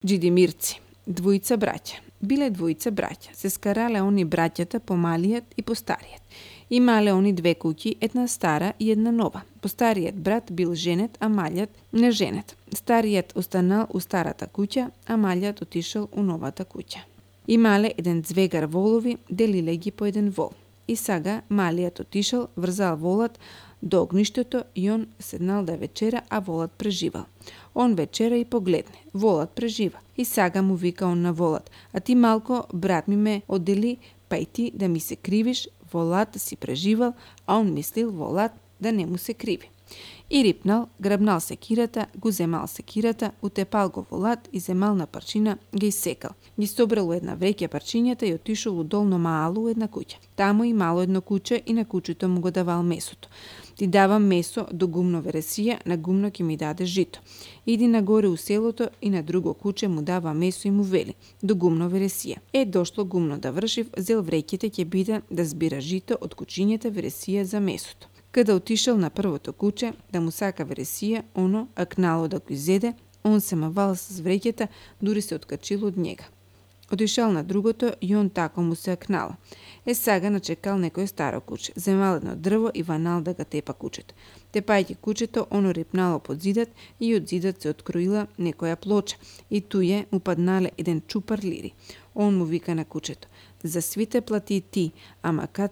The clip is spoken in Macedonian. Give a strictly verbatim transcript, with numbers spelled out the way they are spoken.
Джидимирци, двојца браќа. Биле двојца браќа. Се скарале они браќата по малиот и по стариот. Имале они две куќи, една стара и една нова. По стариот брат бил женет, а малиот не женет. Стариот останал у старата куќа, а малиот отишел у новата куќа. Имале еден звегар волови, делиле ги по еден вол. И сага малиот отишел, врзал волот до огништето и он седнал да вечера, а волот преживал. Он вечера и погледне. Волот прежива. И сага му вика он на волот: а ти малко, брат ми ме одели, па и ти да ми се кривиш, волат си преживал, а он мислил волат да не му се криви. И рипнал, грабнал секирата, го земал секирата, утепал го волат и земал на парчина, ги исекал. Ги собрал у една вреќа парчињата и отишол у долно маало у една куќа. Таму и мало едно куче и на кучето му го давал месото. Ти давам месо до гумно вересија, на гумно ќе ми даде жито. Иди нагоре у селото и на друго куче му дава месо и му вели: до гумно вересија. Е, дошло гумно да вршив, зел вреќите ќе биде да збира жито од кучињата вересија за месото. Када отишел на првото куче да му сака вересија, оно акнало да го изеде, он се мавал с вреќата, дури се откачил од njega. Отишел на другото и он тако му се акнала. Е, сага начекал некој старо куче, земал едно дрво и ванал да ga тепа кучето. Тепајќи кучето, оно рипнало под зидат и од зидат се откроила некоја плоча и туе му паднале еден чупар лири. Он му вика на кучето: за свите плати ти, ама кад